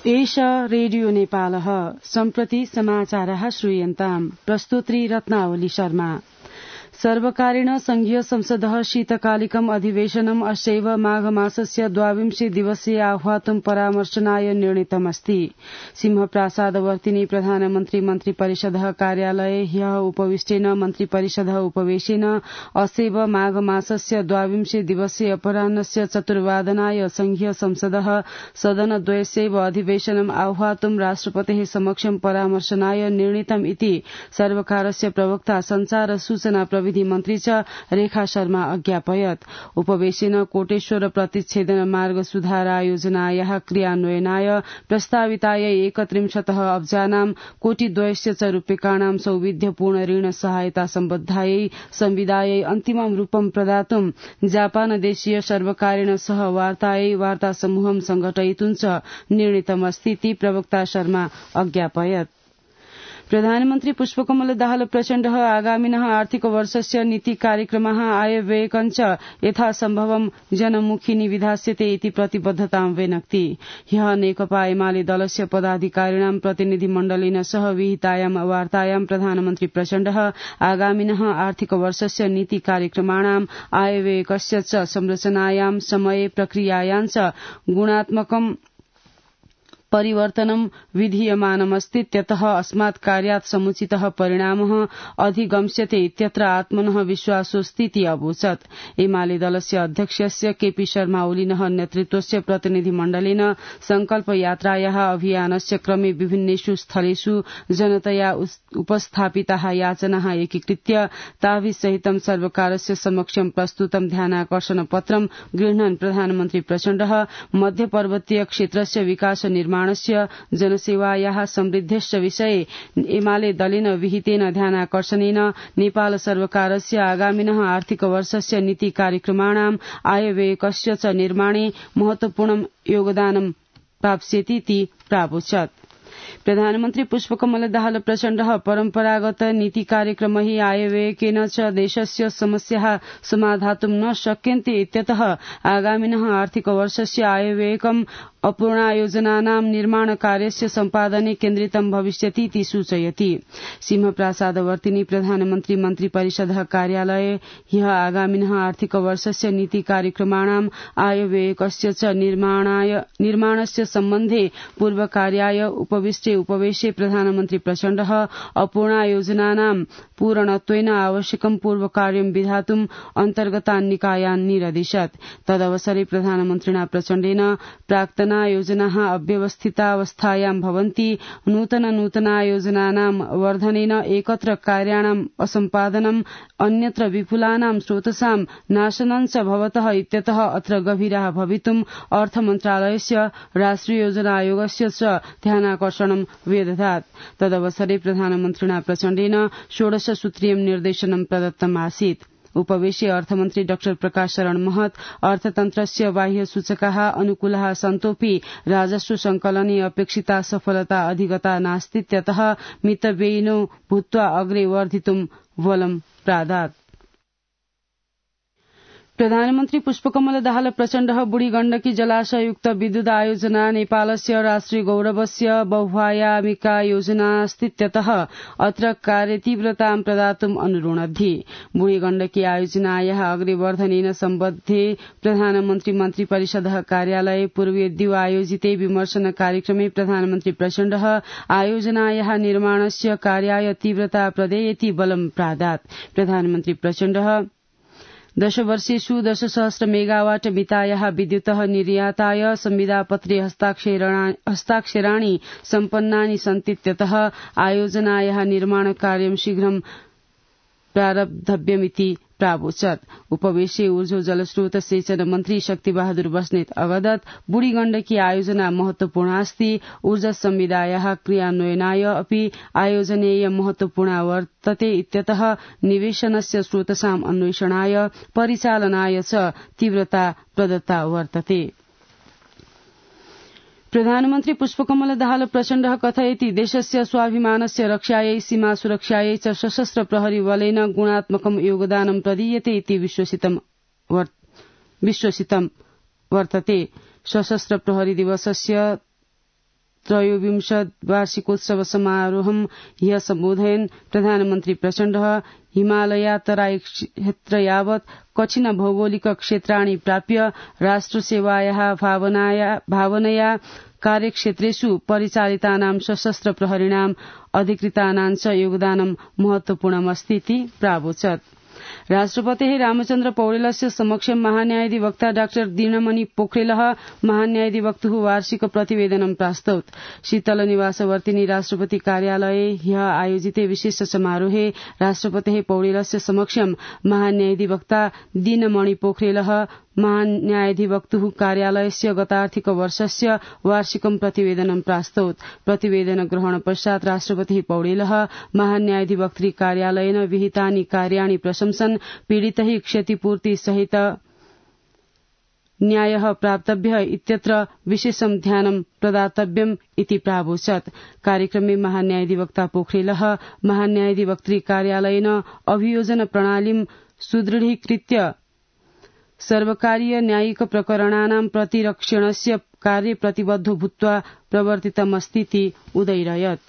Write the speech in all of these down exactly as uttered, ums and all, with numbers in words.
एष रेडियो नेपालः सम्प्रति समाचारः श्रूयन्ताम् प्रस्तुत्री रत्नावली शर्मा। सर्वकारेण संघीय संसदः शीतकालिकम् अधिवेशनम् अस्यैव माघमासस्य द्वाविंशे दिवसे आह्वातुं परामर्शनाय निर्णीतमस्ति। सिंहप्रासादवर्तिनि प्रधानमन्त्री मन्त्रिपरिषदः कार्यालये ह्यः उपविष्टेन मन्त्रिपरिषदः उपवेशेन अस्यैव माघमासस्य द्वाविंशे दिवसे अपराह्नस्य चतुर्वादनाय संघीय संसदः सदनद्वयस्यैव अधिवेशनम् आह्वातुं राष्ट्रपतेः समक्षं परामर्शनाय निर्णीतम् इति सर्वकारस्य प्रवक्ता संचार सूचना विधि मन्त्री च रेखा शर्मा अज्ञापयत्। उपवेशेन कोटेश्वर प्रतिच्छेदन मार्ग सुधारायोजनायाः क्रियान्वयनाय प्रस्तावितायै एकत्रिंशतः अब्जानां कोटिद्वयस्य च रूप्यकाणां सौविध्यपूर्ण ऋण सहायता सम्बद्धायै संविदायै अन्तिमं रूपं प्रदातुं जापानदेशीय सर्वकारेण सह वार्तायै वार्तासमूहं संघटयितुं च निर्णीतमस्तीति प्रवक्ता शर्मा अज्ञापयत्। प्रधानमन्त्री पुष्पकमल दाहाल प्रचण्डः आगामिनः आर्थिक वर्षस्य नीति कार्यक्रमः आयव्ययकञ्च यथासम्भवं जनमुखी विधास्यते इति प्रतिबद्धतां व्यनक्ति। ह्यः नेकपा एमाले दलस्य पदाधिकारिणां प्रतिनिधिमण्डलेन सह विहितायां वार्तायां प्रधानमन्त्री प्रचण्डः आगामिनः आर्थिक वर्षस्य नीति कार्यक्रमाणां आयव्ययकस्य च संरचनायां समये प्रक्रियायां च गुणात्मकं परिवर्तनं विधीयमानमस्तीत्यतः अस्मात् कार्यात् समुचितः परिणामः अधिगम्स्यते इत्यत्र आत्मनः विश्वासोऽस्तीति अवोचत्। एमाले दलस्य अध्यक्षस्य केपी शर्मा ओलीनः नेतृत्वस्य प्रतिनिधिमण्डलेन संकल्प यात्रायाः अभियानस्य क्रमे विभिन्नेषु स्थलेषु जनतया उपस्थापिताः याचनाः एकीकृत्य ताभिसहितं सर्वकारस्य समक्षं प्रस्तुतं ध्यानाकर्षण पत्रं गृह्णन् प्रधानमन्त्री प्रचण्डः मध्यपर्वतीय क्षेत्रस्य विकास निर्माण जनसेवायाः समृद्धेश्च विषये एमाले दलेन विहितेन ध्यानाकर्षणेन नेपाल सर्वकारस्य आगामिनः आर्थिक वर्षस्य नीति कार्यक्रमाणां आयव्ययकस्य च निर्माणे महत्वपूर्णं योगदानं प्राप्स्यतीति प्रावोचत्। प्रधानमन्त्री पुष्पकमल दाहाल प्रचण्डः परम्परागत नीति कार्यक्रम हि आयव्ययकेन च देशस्य समस्याः समाधातुं न शक्यन्ते इत्यतः आगामिनः आर्थिक वर्षस्य आयव्ययकम् अपूर्णायोजनानां निर्माण कार्यस्य सम्पादने केन्द्रितं भविष्यतीति सूचयति। सिंहप्रासादवर्तिनि प्रधानमन्त्री मन्त्रिपरिषदः कार्यालये ह्यः आगामिनः आर्थिक वर्षस्य नीति कार्यक्रमाणां आयव्ययकस्य च निर्माणस्य सम्बन्धे पूर्वकार्याय उपविष्टे उपवेशे प्रधानमन्त्री प्रचण्डः अपूर्णायोजनानां पूरणत्वेन आवश्यकं पूर्वकार्यं विधातुं अन्तर्गतान् निकायान् निरदिशत्। तदवसरे प्रधानमन्त्रिणा प्रचण्डेन प्राक्तन योजनाः अव्यवस्थितावस्थायां भवन्ति, नूतन नूतनायोजनानां वर्धनेन एकत्र कार्याणाम् असम्पादनम् अन्यत्र विपुलानां स्रोतसां नाशनं च भवतः इत्यतः अत्र गभीराः भवितुं अर्थमन्त्रालयस्य राष्ट्रिय योजना आयोगस्य च ध्यानाकर्षणं व्यदधात्। तदवसरे प्रधानमन्त्रिणा प्रचण्डेन षोडश सूत्रीयं निर्देशनं प्रदत्तम् आसीत्। उपवेशे अर्थमन्त्री डाक्टर प्रकाश शरण महत अर्थतन्त्रस्य बाह्य सूचकाः अनुकूलाः सन्तोऽपि राजस्व संकलने अपेक्षिता सफलता अधिगता नास्तीत्यतः मितव्ययिनो भूत्वा अग्रे वर्धितुं बलं प्रादात्। प्रधानमन्त्री पुष्पकमल दाहाल प्रचण्डः बुढी गण्डकी जलाशययुक्त विद्युत आयोजना नेपालस्य राष्ट्रिय गौरवस्य बहुआयामिका योजनास्तीत्यतः अत्र कार्यतीव्रतां प्रदातुम् अनुरोणद्धि। बुढी गण्डकी आयोजनायाः अग्रेवर्धनेन सम्बद्धे प्रधानमन्त्री मन्त्रिपरिषदः कार्यालये पूर्वे द्वि आयोजिते विमर्शन कार्यक्रमे प्रधानमन्त्री प्रचण्डः आयोजनायाः निर्माणस्य कार्याय तीव्रता प्रदेयति बलं प्रादात्। प्रधानमन्त्री प्रचण्डः दशवर्षेषु दशसहस्र मेगावाट मितायाः विद्युतः निर्याताय संविदापत्रे हस्ताक्षराणि सम्पन्नानि सन्तीत्यतः आयोजनायाः निर्माणकार्यं शीघ्रं प्रारब्धव्यमिति प्रावोचत्। उपवेशे ऊर्जा जलस्रोत सेचन मन्त्री शक्तिबहादुर बस्नेत अवदत् बुढी गण्डकी आयोजना महत्वपूर्णा अस्ति। ऊर्जा संविदायाः क्रियान्वयनाय अपि आयोजनेय महत्वपूर्णा वर्तते इत्यतः निवेशनस्य स्रोतसाम् अन्वेषणाय परिचालनाय च तीव्रता प्रदत्ता वर्तते। प्रधानमन्त्री पुष्पकमल दाहाल प्रचण्डः कथयति देशस्य स्वाभिमानस्य रक्षायै सीमा सुरक्षायै च सशस्त्र प्रहरी बलेन गुणात्मकं योगदानं प्रदीयते इति विश्वसितं वर्तते। सशस्त्र प्रहरी दिवसस्य त्रयोविंश वार्षिकोत्सव समारोहं ह्यः सम्बोधयन् प्रधानमन्त्री प्रचण्डः हिमालयातराई क्षेत्र यावत् कठिन भौगोलिक क्षेत्राणि प्राप्य राष्ट्रसेवायाः भावनाया भावनया कार्यक्षेत्रेषु परिचालितानां सशस्त्र प्रहरीणां अधिकृतानां च योगदानं महत्वपूर्णमस्ति इति प्रावोचत्। राष्ट्रपतेः रामचन्द्र पौडेलस्य समक्षं महान्यायाधिवक्ता डाक्टर दीनमणि पोखरेलः महान्यायाधिवक्तुः वार्षिक प्रतिवेदनं प्रास्तौत्। शीतलनिवासवर्तिनी राष्ट्रपति कार्यालये ह्यः आयोजिते विशेष समारोहे राष्ट्रपतेः पौडेलस्य समक्षं महान्यायाधिवक्ता दीनमणि पोखरेलः महान्यायाधिवक्तुः कार्यालयस्य गतार्थिक वर्षस्य वार्षिकं प्रतिवेदनं प्रास्तौत्। प्रतिवेदन ग्रहण पश्चात् राष्ट्रपतिः पौडेलः महान्यायाधिवक्तृ कार्यालयेन विहितानि कार्याणि प्रशंसन् पीडितैः क्षतिपूर्ति सहित न्यायः प्राप्तव्यः इत्यत्र विशेषं ध्यानं प्रदातव्यम् इति प्रावोचत्। कार्यक्रमे महान्यायाधिवक्ता पोखरेलः महान्यायाधिवक्तृ कार्यालयेन अभियोजन प्रणालीं सुदृढीकृत्य सर्वकारीय न्यायिक प्रकरणानां प्रतिरक्षणस्य कार्ये प्रतिबद्धो भूत्वा प्रवर्तितमस्तीति उदैरयत्।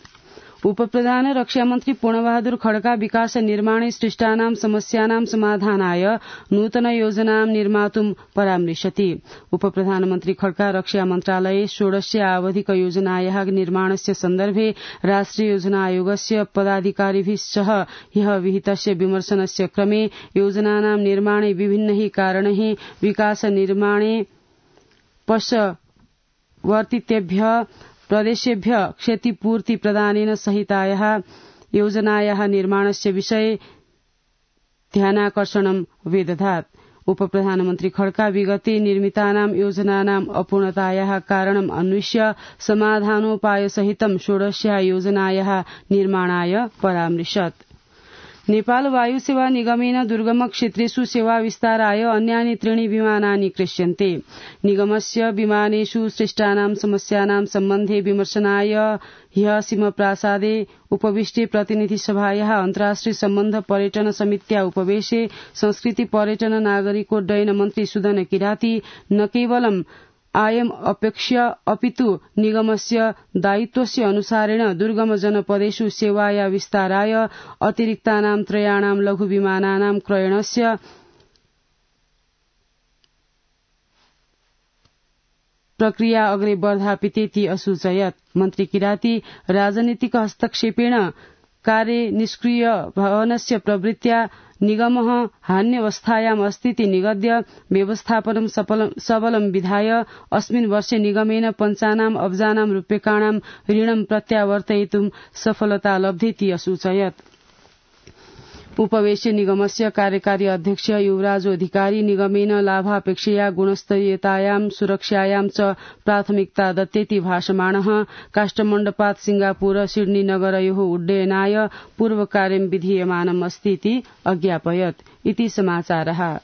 उपप्रधान रक्षामन्त्री पूर्णबहादुर खड्का विकास निर्माणे सृष्टानां समस्यानां समाधानाय नूतन योजनां निर्मातुं परामृशति। उपप्रधानमन्त्री खड्का रक्षा मन्त्रालये षोडश आवधिक योजनायाः निर्माणस्य सन्दर्भे राष्ट्रिय योजना आयोगस्य पदाधिकारिभिः सह ह्यः विहितस्य विमर्शनस्य क्रमे योजनानां निर्माणे विभिन्नैः कारणैः विकास निर्माणे पश्चवर्तितेभ्यः प्रदेशेभ्य क्षतिपूर्ति प्रदानेन सहितायाः योजनायाः निर्माणस्य विषये ध्यानाकर्षणं व्यदधात्। उपप्रधानमन्त्री खड्का विगते निर्मितानां योजनानां अपूर्णतायाः कारणम् अन्विष्य समाधानोपायसहितं षोडश्या योजनायाः निर्माणाय परामृशत्। नेपाल वायु सेवा निगमेन दुर्गम क्षेत्रेषु सेवा विस्ताराय अन्यानि त्रीणि विमानानि क्रेष्यन्ते। निगमस्य विमानेषु सृष्टानां समस्यानां सम्बन्धे विमर्शनाय ह्यः सिंहप्रासादे उपविष्टे प्रतिनिधि सभायाः अन्ताराष्ट्रिय सम्बन्ध पर्यटन समित्या उपवेशे संस्कृति पर्यटन नागरिकोड्डयन मन्त्री सुदन किराती न केवलम् आयम अपेक्ष्य अपितु निगमस्य दायित्वस्य अनुसारेण दुर्गम जनपदेषु सेवाया विस्ताराय अतिरिक्तानां त्रयाणां लघु विमानानां क्रयणस्य प्रक्रिया अग्रे वर्धापितेति असूचयत्। मन्त्री किराती राजनीतिक हस्तक्षेपेण कार्ये निष्क्रिय भवनस्य प्रवृत्त्या निगमः हान्यवस्थायाम् अस्तीति निगद्य व्यवस्थापनं सबलं विधाय अस्मिन् वर्षे निगमेन पञ्चानाम् अब्जानां रूप्यकाणां ऋणं प्रत्यावर्तयितुं सफलता लब्धेति असूचयत्। उपवेशे निगमस्य कार्यकारी अध्यक्ष युवराज अधिकारी निगमेन लाभापेक्षया गुणस्तरीयतायां सुरक्षायां च प्राथमिकता दत्तेति भाषमाणः काष्ठमण्डपात् सिंगापुर सिडनी नगरयोः उड्डयनाय पूर्वकार्यं विधीयमानम् अस्तीति अज्ञापयत्। इति समाचारः।